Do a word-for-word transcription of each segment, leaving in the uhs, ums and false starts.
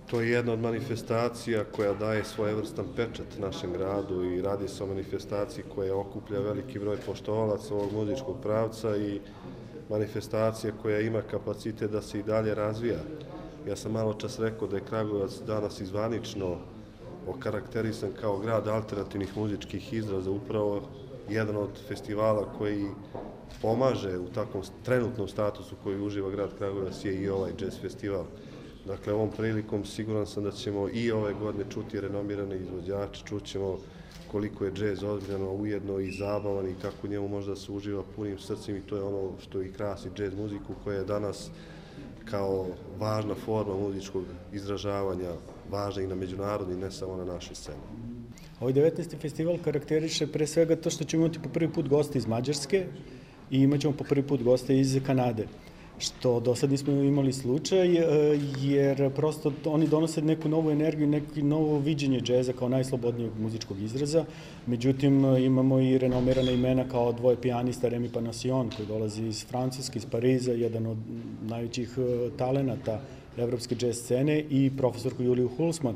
To je jedna od manifestacija koja daje svojevrstan pečat našem gradu i radi se o manifestaciji koja okuplja veliki broj poštovalaca ovog muzičkog pravca i manifestacija koja ima kapacitet da se i dalje razvija. Ja sam malo čas rekao da je Kragujevac danas izvanično okarakterisan kao grad alternativnih muzičkih izraza, upravo jedan od festivala koji pomaže u takvom trenutnom statusu koji uživa grad Kragujevac je i ovaj jazz festival. Dakle, ovom prilikom siguran sam da ćemo i ove godine čuti renomirane izvođače, čućemo koliko je džez ozbiljno, ujedno i zabavan i kako njemu možda se uživa punim srcem i to je ono što i krasi džez muziku koja je danas kao važna forma muzičkog izražavanja, važna i na međunarodni, ne samo na našoj sceni. Ovaj devetnaesti festival karakteriše pre svega to što ćemo imati po prvi put goste iz Mađarske i imat ćemo po prvi put goste iz Kanade, što do sad nismo imali slučaj, jer prosto oni donose neku novu energiju, neko novo viđenje džeza kao najslobodnijeg muzičkog izraza. Međutim, imamo i renomirana imena kao dvoje pijanista, Remi Panasion, koji dolazi iz Francuske, iz Pariza, jedan od najvećih talenata evropske džez scene, i profesorku Juliju Hulsman,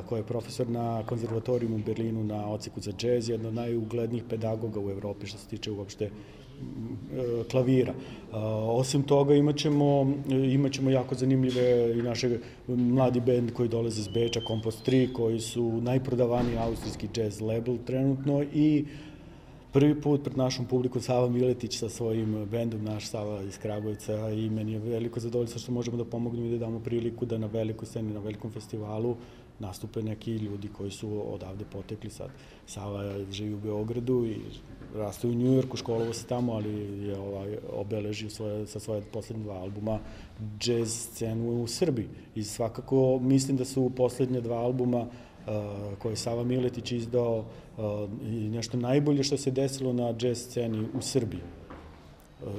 koja je profesor na konzervatorijumu u Berlinu na odseku za džez, jedna od najuglednijih pedagoga u Evropi što se tiče uopšte klavira. Osim toga imaćemo, imaćemo jako zanimljive i naše mladi bend koji dolaze iz Beča, Kompost tri, koji su najprodavaniji austrijski jazz label trenutno, i prvi put pred našom publikom Sava Miletić sa svojim bendom, naš Sava iz Kragujevca, i meni je veliko zadovoljstvo što možemo da pomognemo i da damo priliku da na velikoj sceni, na velikom festivalu nastupe neki ljudi koji su odavde potekli sad. Sava živi u Beogradu i raste u Njujorku, školovao se tamo, ali je ovaj, obeležio svoje, sa svoje poslednje dva albuma džez scenu u Srbiji. I svakako mislim da su poslednje dva albuma koje je Sava Miletić izdao i nešto najbolje što se desilo na džez sceni u Srbiji,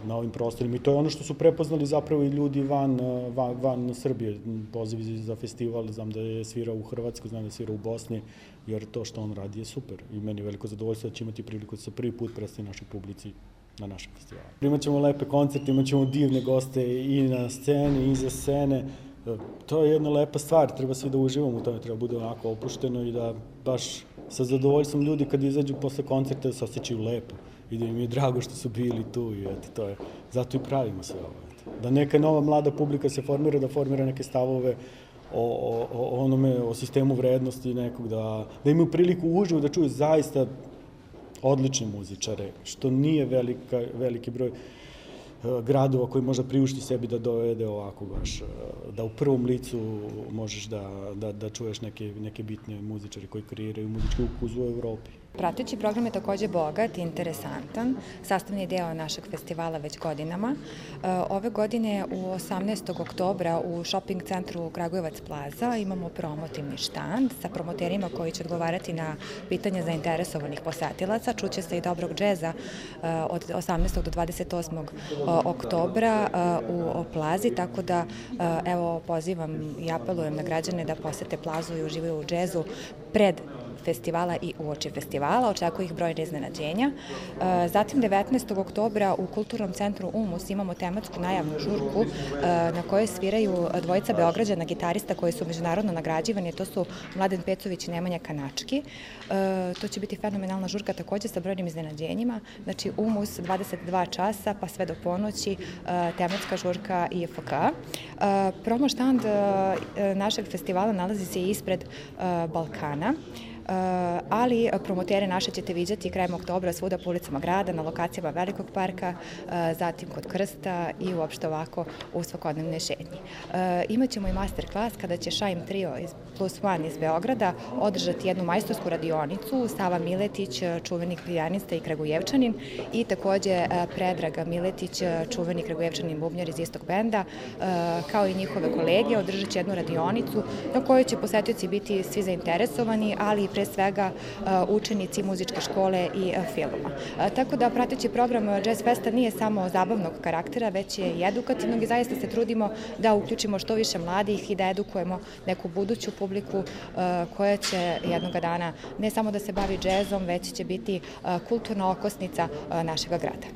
na ovim prostorima. I to je ono što su prepoznali zapravo i ljudi van, van, van Srbije. Pozivi za festival, znam da je svirao u Hrvatskoj, znam da je svirao u Bosni, jer to što on radi je super. I meni je veliko zadovoljstvo da će imati priliku da se prvi put predstavi našoj publici na našem festivalu. Imaćemo lepe koncerte, imaćemo divne goste i na sceni, i iza scene. To je jedna lepa stvar, treba svi da uživamo u tome, treba bude onako opušteno i da baš sa zadovoljstvom ljudi kad izađu posle koncerta da se osjećaju lepo i da im je drago što su bili tu i eto, to je, zato i pravimo sve ovo. Da neka nova mlada publika se formira, da formira neke stavove o, o, o onome, o sistemu vrednosti nekog, da, da imaju priliku uživo da čuju zaista odlične muzičare, što nije velika, veliki broj gradova koji možda priušti sebi da dovede ovako baš, da u prvom licu možeš da, da, da čuješ neke, neke bitne muzičare koji kreiraju muzički ukus u Evropi. Prateći program je takođe bogat i interesantan, sastavni deo našeg festivala već godinama. Ove godine u osamnaestog oktobra u shopping centru Kragujevac Plaza imamo promotivni štand sa promoterima koji će odgovarati na pitanja zainteresovanih posetilaca. Čuće se i dobrog džeza od osamnaestog do dvadeset osmog oktobra u Plazi, tako da evo pozivam i apelujem na građane da posete Plazu i uživaju u džezu pred festivala i uoči festivala. Očekuju ih brojne iznenađenja. Zatim devetnaestog oktobra u Kulturnom centru Umus imamo tematsku najavnu žurku na kojoj sviraju dvojica Beograđana gitarista koji su međunarodno nagrađivani. To su Mladen Pecović i Nemanja Kanački. To će biti fenomenalna žurka takođe sa brojnim iznenađenjima. Znači Umus dvadeset dva časa pa sve do ponoći, tematska žurka I F K. Promo štand našeg festivala nalazi se ispred Balkana, ali promotere naše ćete viđati krajem oktobra svuda po ulicama grada, na lokacijama Velikog parka, zatim kod Krsta i uopšte ovako u svakodnevnoj šetnji. Imaćemo i master klas kada će Shine Trio plus one iz Beograda održati jednu majstorsku radionicu, Sava Miletić, čuveni pijanista i Kragujevčanin, i takođe Predraga Miletić, čuveni Kragujevčanin bubnjar iz istog benda, kao i njihove kolege, održat će jednu radionicu na kojoj će posetioci biti svi zainteresovani, ali i pre svega učenici muzičke škole i filma. Tako da prateći program Jazz Festa nije samo zabavnog karaktera, već je i edukativnog i zaista se trudimo da uključimo što više mladih i da edukujemo neku buduću publiku koja će jednoga dana ne samo da se bavi džezom, već će biti kulturna okosnica našeg grada.